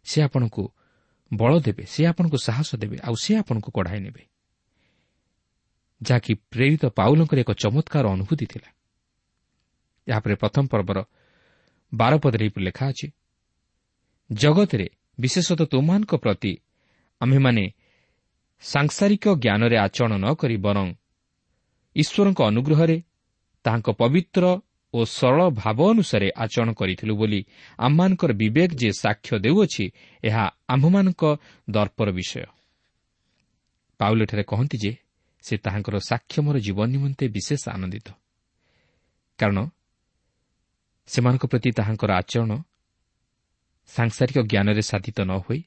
S3: ସେ ଆପଣଙ୍କୁ ବଳ ଦେବେ, ସେ ଆପଣଙ୍କୁ ସାହସ ଦେବେ, ଆଉ ସେ ଆପଣଙ୍କୁ କଢ଼ାଇ ନେବେ, ଯାହାକି ପ୍ରେରିତ ପାଉଲଙ୍କର ଏକ ଚମତ୍କାର ଅନୁଭୂତି ଥିଲା। ଏହାପରେ ପ୍ରଥମ ପର୍ବର ବାର ପଦରେ ଏହିପରି ଲେଖା ଅଛି, ଜଗତରେ ବିଶେଷତଃ ତୁମମାନଙ୍କ ପ୍ରତି ଆମ୍ଭେମାନେ ସାଂସାରିକ ଜ୍ଞାନରେ ଆଚରଣ ନ କରି ବରଂ ଈଶ୍ୱରଙ୍କ ଅନୁଗ୍ରହରେ ତାହାଙ୍କ ପବିତ୍ର ଓ ସରଳ ଭାବ ଅନୁସାରେ ଆଚରଣ କରିଥିଲୁ ବୋଲି ଆମମାନଙ୍କର ବିବେକ ଯେ ସାକ୍ଷ୍ୟ ଦେଉଅଛି, ଏହା ଆମ୍ଭମାନଙ୍କ ଦର୍ପର ବିଷୟ। ପାଉଲ ଏଠାରେ କହନ୍ତି ଯେ ସେ ତାହାଙ୍କର ସାକ୍ଷ୍ୟମର ଜୀବନ ନିମନ୍ତେ ବିଶେଷ ଆନନ୍ଦିତ, କାରଣ ସେମାନଙ୍କ ପ୍ରତି ତାହାଙ୍କର ଆଚରଣ ସାଂସାରିକ ଜ୍ଞାନରେ ସାଧିତ ନ ହୋଇ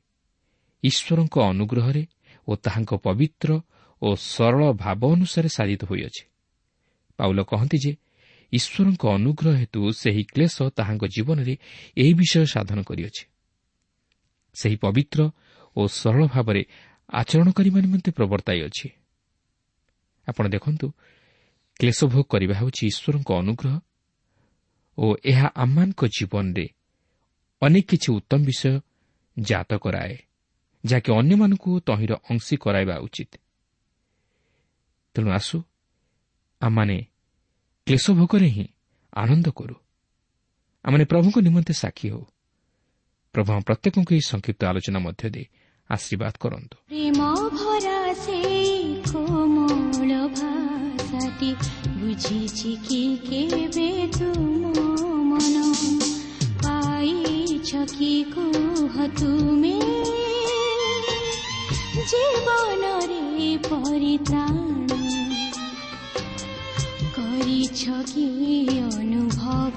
S3: ଈଶ୍ୱରଙ୍କ ଅନୁଗ୍ରହରେ ଓ ତାହାଙ୍କ ପବିତ୍ର ଓ ସରଳ ଭାବ ଅନୁସାରେ ସାଧିତ ହୋଇଅଛି। ପାଉଲ କହନ୍ତି ଯେ ଈଶ୍ୱରଙ୍କ ଅନୁଗ୍ରହ ହେତୁ ସେହି କ୍ଲେଶ ତାହାଙ୍କ ଜୀବନରେ ଏହି ବିଷୟ ସାଧନ କରିଅଛି। ସେହି ପବିତ୍ର ଓ ସରଳ ଭାବରେ ଆଚରଣ କରିବା ନିମନ୍ତେ ପ୍ରବର୍ତ୍ତାଇଅଛି। ଆପଣ ଦେଖନ୍ତୁ, କ୍ଲେଶ ଭୋଗ କରିବା ହେଉଛି ଈଶ୍ୱରଙ୍କ ଅନୁଗ୍ରହ ଓ ଏହା ଆମମାନଙ୍କ ଜୀବନରେ ଅନେକ କିଛି ଉତ୍ତମ ବିଷୟ ଜାତ କରାଏ, ଯାହାକି ଅନ୍ୟମାନଙ୍କୁ ତହିଁର ଅଂଶୀ କରାଇବା ଉଚିତ। ତେଣୁ ଆସୁ ଆମମାନେ କ୍ଲେଶ ଭୋଗରେ ହିଁ ଆନନ୍ଦ କରୁ, ଆମମାନେ ପ୍ରଭୁଙ୍କ ନିମନ୍ତେ ସାକ୍ଷୀ ହେଉ। ପ୍ରଭୁ ଆମ ପ୍ରତ୍ୟେକଙ୍କୁ ଏହି ସଂକ୍ଷିପ୍ତ ଆଲୋଚନା ମଧ୍ୟ ଦେଇ ଆଶୀର୍ବାଦ କରନ୍ତୁ।
S2: ପ୍ରେମ ଭରା ସେଇ କୋମଳ ଭାଷାଟି ବୁଝିଛି କି କେବେ ତୁମ ମନ, ପାଇଛ କି କୁହ ତୁମେ ଜୀବନରେ ପରିତ୍ରାଣ, କରିଛ କି ଅନୁଭବ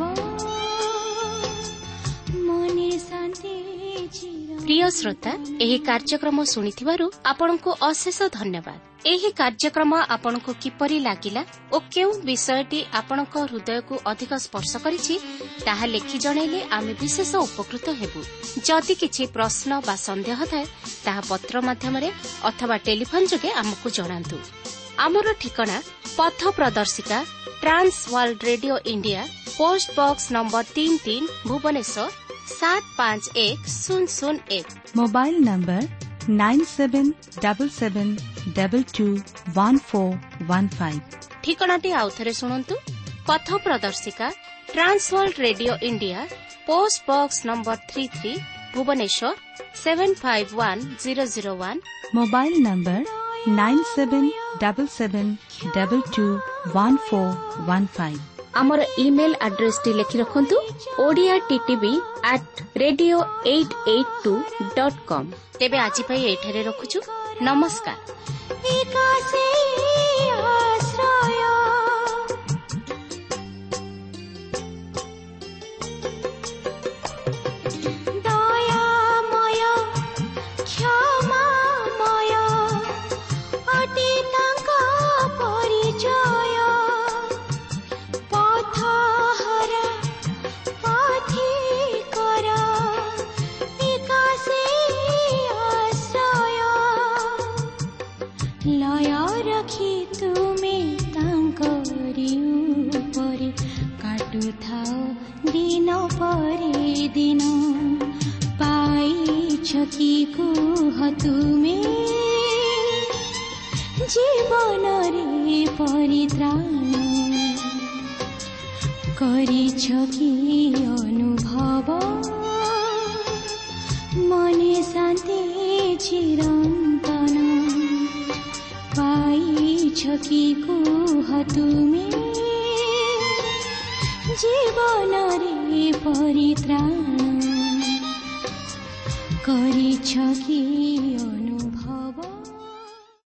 S2: ମନେ ଶାନ୍ତି।
S1: ପ୍ରିୟ ଶ୍ରୋତା, ଏହି କାର୍ଯ୍ୟକ୍ରମ ଶୁଣିଥିବାରୁ ଆପଣଙ୍କୁ ଅଶେଷ ଧନ୍ୟବାଦ। ଏହି କାର୍ଯ୍ୟକ୍ରମ ଆପଣଙ୍କୁ କିପରି ଲାଗିଲା ଓ କେଉଁ ବିଷୟଟି ଆପଣଙ୍କ ହୃଦୟକୁ ଅଧିକ ସ୍ପର୍ଶ କରିଛି ତାହା ଲେଖି ଜଣାଇଲେ ଆମେ ବିଶେଷ ଉପକୃତ ହେବୁ। ଯଦି କିଛି ପ୍ରଶ୍ନ ବା ସନ୍ଦେହ ଥାଏ ତାହା ପତ୍ର ମାଧ୍ୟମରେ ଅଥବା ଟେଲିଫୋନ୍ ଯୋଗେ ଆମକୁ ଜଣାନ୍ତୁ। ଆମର ଠିକଣା ପଥ ପ୍ରଦର୍ଶିକା, Trans World Radio India, post box number ତିନି ତିନି, ଭୁବନେଶ୍ୱର ସାତ ପାଞ୍ଚ ଏକ ଶୂନ ଶୂନ ଏକ।
S4: Mobile number nine seven double seven double two one four one five.
S1: ଠିକଣାଟି ଆଉଥରେ ଶୁଣନ୍ତୁ। ପଥ ପ୍ରଦର୍ଶିକା, Trans World Radio India, post box number three three, Bhubaneswar seven five one zero zero one.
S4: Mobile number nine seven double seven double two one four one five.
S1: ଆମର email ଆଡ୍ରେସଟି ଲେଖି ରଖନ୍ତୁ, Odia TTV at radio eight eight two dot com. ତେବେ ଆଜି ପାଇଁ ଏଠାରେ ରଖୁଛୁ। ନମସ୍କାର।
S2: ଦିନ ପରେ ଦିନ ପାଇଛ କି କୁହ ତୁମେ ଜୀବନରେ ପରିତ୍ରାଣ, କରିଛ କି ଅନୁଭବ ମନେ ଶାନ୍ତି ଚିରନ୍ତନ, ପାଇଛ କି କୁହ ତୁମେ ଜୀବନରେ ପରିତ୍ରାଣ, କରିଛ କି ଅନୁଭବ।